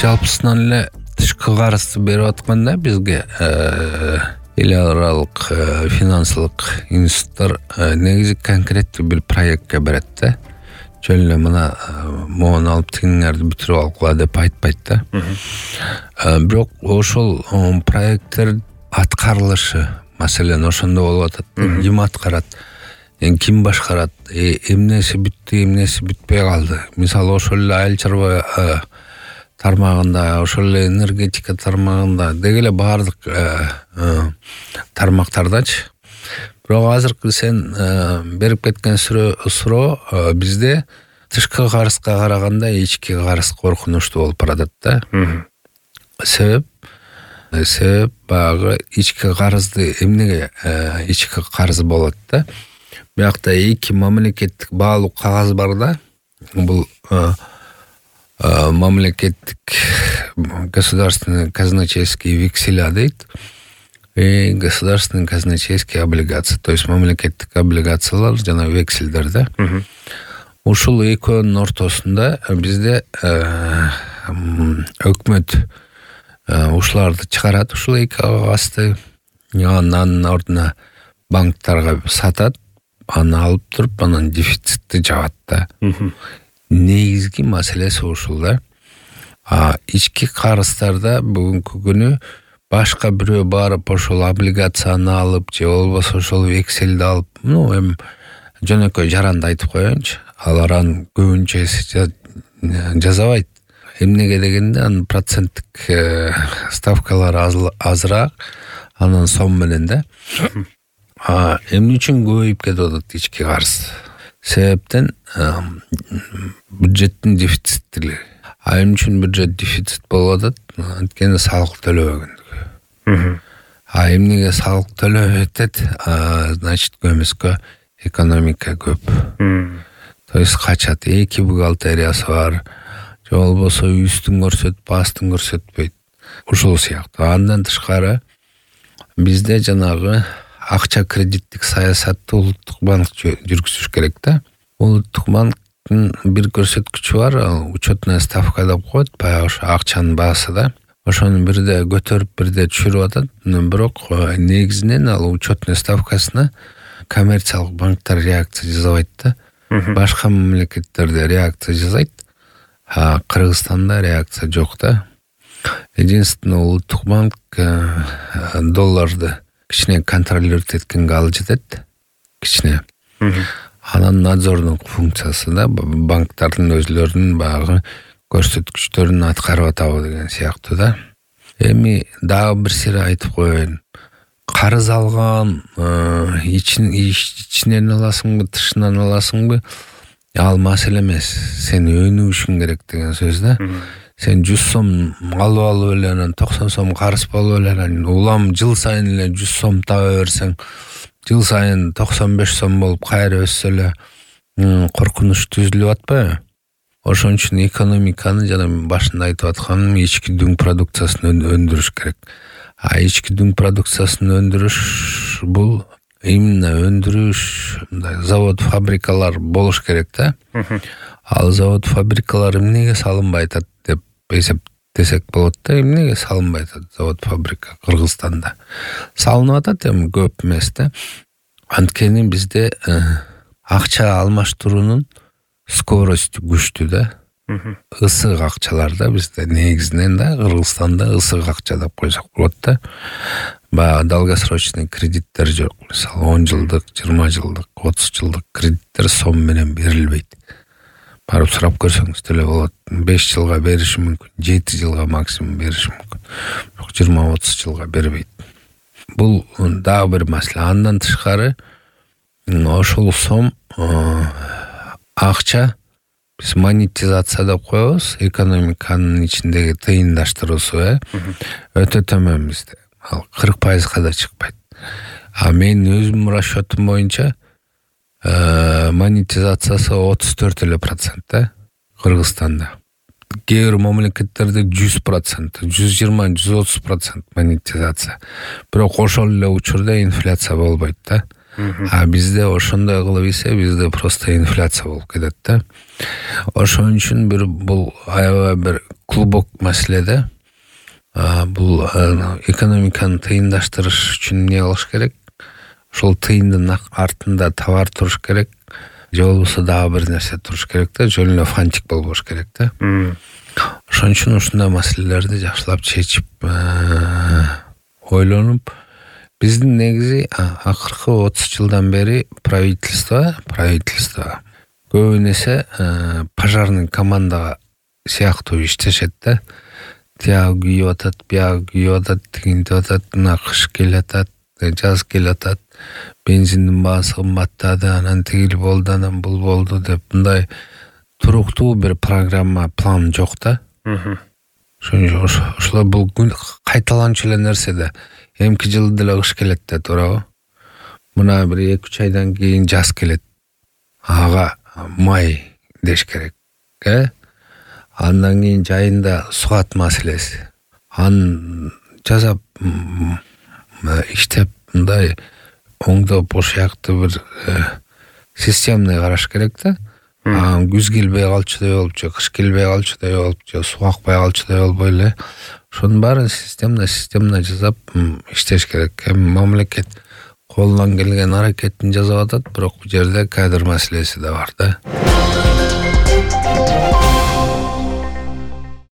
жалпысынан эле тышкы карызды берип атканда бизге эл аралык финансылык институттар негизи конкреттүү бир проектке берет да. Жөн эле мына могуну алып тигиңерди бүтүрүп алгыла деп айтпайт да. Бирок ошол проекттер аткарылышы маселен ошондо болуп атат. Ким аткарат? Ким башкарат? Эмнеси бүттү, эмнеси бүтпөй калды? Мисалы ошол эле айыл чарба тармагында, ошол эле энергетика тармагында деги эле баардык тармактардачы. Бирок азыркы сен берип кеткен суроо бизде тышкы карызга караганда ички карыз коркунучтуу болуп баратат да. Себеп баягы ички карызды эмнеге ички карыз болот да? Биякта эки мамлекеттик баалуу кагаз бар да. Бул мамлекеттик государственные казначейские векселя дейт. И государственные казначейские облигации, то есть мамлекеттик облигациялар жана вексельдер да. Ушул экөөнүн ортосунда бизде өкмөт ушуларды чыгарат, ушул эки кагазды, анын ордуна банктарга сатат, аны алып туруп, анан дефицитти жабат да. Негизги маселеси ушул да. Ички карыздарда бүгүнкү күнү башка бирөө барып ошол облигацияны алып же болбосо ошол векселди алып, эми жөнөкөй жаранды айтып коеюнчу, алар анын көбүнчөсү жазабайт. Эмнеге дегенде анын проценттик ставкалары азыраак, анан сом менен да. Эмне үчүн көбөйүп кетип атат ички карыз? Себептен бюджеттин дефициттилиги. Эмне үчүн бюджет дефицит болуп атат? Анткени салык төлөбөгөндүгү. Эмнеге салык төлөп атат? Значит, көмүскө экономика көп. То есть качат, эки бухгалтериясы бар. Же болбосо үстүн көрсөтүп, астын көрсөтпөйт. Ушул сыяктуу. Андан тышкары бизде жанагы акча кредиттик саясатты улуттук банк жүргүзүш керек да. Улуттук банктын бир көрсөткүчү бар, учетная ставка деп коет, баягы ошо акчанын баасы да. Ошону бирде көтөрүп, бирде түшүрүп атат. Бирок негизинен ал учетная ставкасына коммерциялык банктар реакция жасабайт да. Башка мамлекеттерде реакция жасайт, Кыргызстанда реакция жок да. Единственное, улуттук банк долларды кичине контролировать эткенге ал жетет, кичине. Анан надзордук функциясы да, банктардын өзлөрүнүн баягы көрсөткүчтөрүн аткарып атабы деген сыяктуу да. Эми дагы бир сири айтып коеюн. Карыз алган ичинен аласыңбы, тышынан аласыңбы? Ал маселе эмес. Сен өнүгүшүң керек деген сөз да. Сен 100 сом алып эле, анан 90 сом карыз болуп эле, улам жыл сайын эле 100 сом таба берсең, жыл сайын 95 сом болуп кайра өссө эле коркунуч түзүлүп атпайбы? Ошон үчүн экономиканы жана башында айтып атканым, ички дүң продукциясын өндүрүш керек. Ички дүң продукциясын өндүрүш бул именно өндүрүш, завод, фабрикалар болуш керек да. Ал завод, фабрикалар эмнеге салынбай атат деп эсептесек болот да. Эмнеге салынбай атат завод, фабрика Кыргызстанда? Салынып атат, эми көп эмес да. Анткени бизде акча алмаштыруунун скоросту күчтүү да. Ысык акчалар да бизде негизинен да, Кыргызстанда ысык акча деп койсок болот да. Баягы долгосрочный кредиттер жок. Мисалы 10 жылдык, 20 жылдык, 30 жылдык кредиттер сом менен берилбейт. Барып сурап көрсөңүз деле болот. 5 жылга бериши мүмкүн, 7 жылга максимум бериши мүмкүн. Бирок 20-30 жылга бербейт. Бул дагы бир маселе. Андан тышкары ошол сом акча биз монетизация деп коебуз, экономиканын ичиндеги тыйындаштыруусу өтө төмөн бизде. Ал 40%га да чыкпайт. Мен өзүмдүн расчетум боюнча монетизациясы 34% да Кыргызстанда. Кээ бир мамлекеттерде 100%, 120-130% монетизация. Бирок ошол эле учурда инфляция болбойт да. А бизде ошондой кылып ийсе бизде просто инфляция болуп кетет да. Ошон үчүн бул аябай бир клубок маселе да. Бул экономиканы тыйындаштырыш үчүн эмне кылыш керек? Ошол тыйындын артында товар туруш керек. Же болбосо дагы бир нерсе туруш керек да, жөн эле фантик болбош керек да. Ошон үчүн ушундай маселелерди жакшылап чечип, ойлонуп, биздин негизи акыркы 30 жылдан бери правительство көбүн эсе пожарный команда сыяктуу иштешет да. Тиягы күйүп атат, биягы күйүп атат, тигинтип атат, мына кыш келатат, жаз келатат, бензиндин баасы кымбаттады, анан тигил болду, анан бул болду деп мындай туруктуу бир программа, план жок да. Ошолор бул кайталанчу эле нерсе да. Эмки жылы деле кыш келет да, туурабы? Мына бир 2-3 айдан кийин жаз келет. Ага май деш керек. Андан кийин жайында суат маселеси. Аны жасап иштеп мындай оңдоп ошояктуу бир системный караш керек да. Күз келбей калчудай болуп же кыш келбей калчудай болуп же суу акпай калчудай болбой эле ошонун баарын системно жасап иштеш керек. Мамлекет колунан келген аракетин жасап атат, бирок бул жерде кадр маселеси да бар да.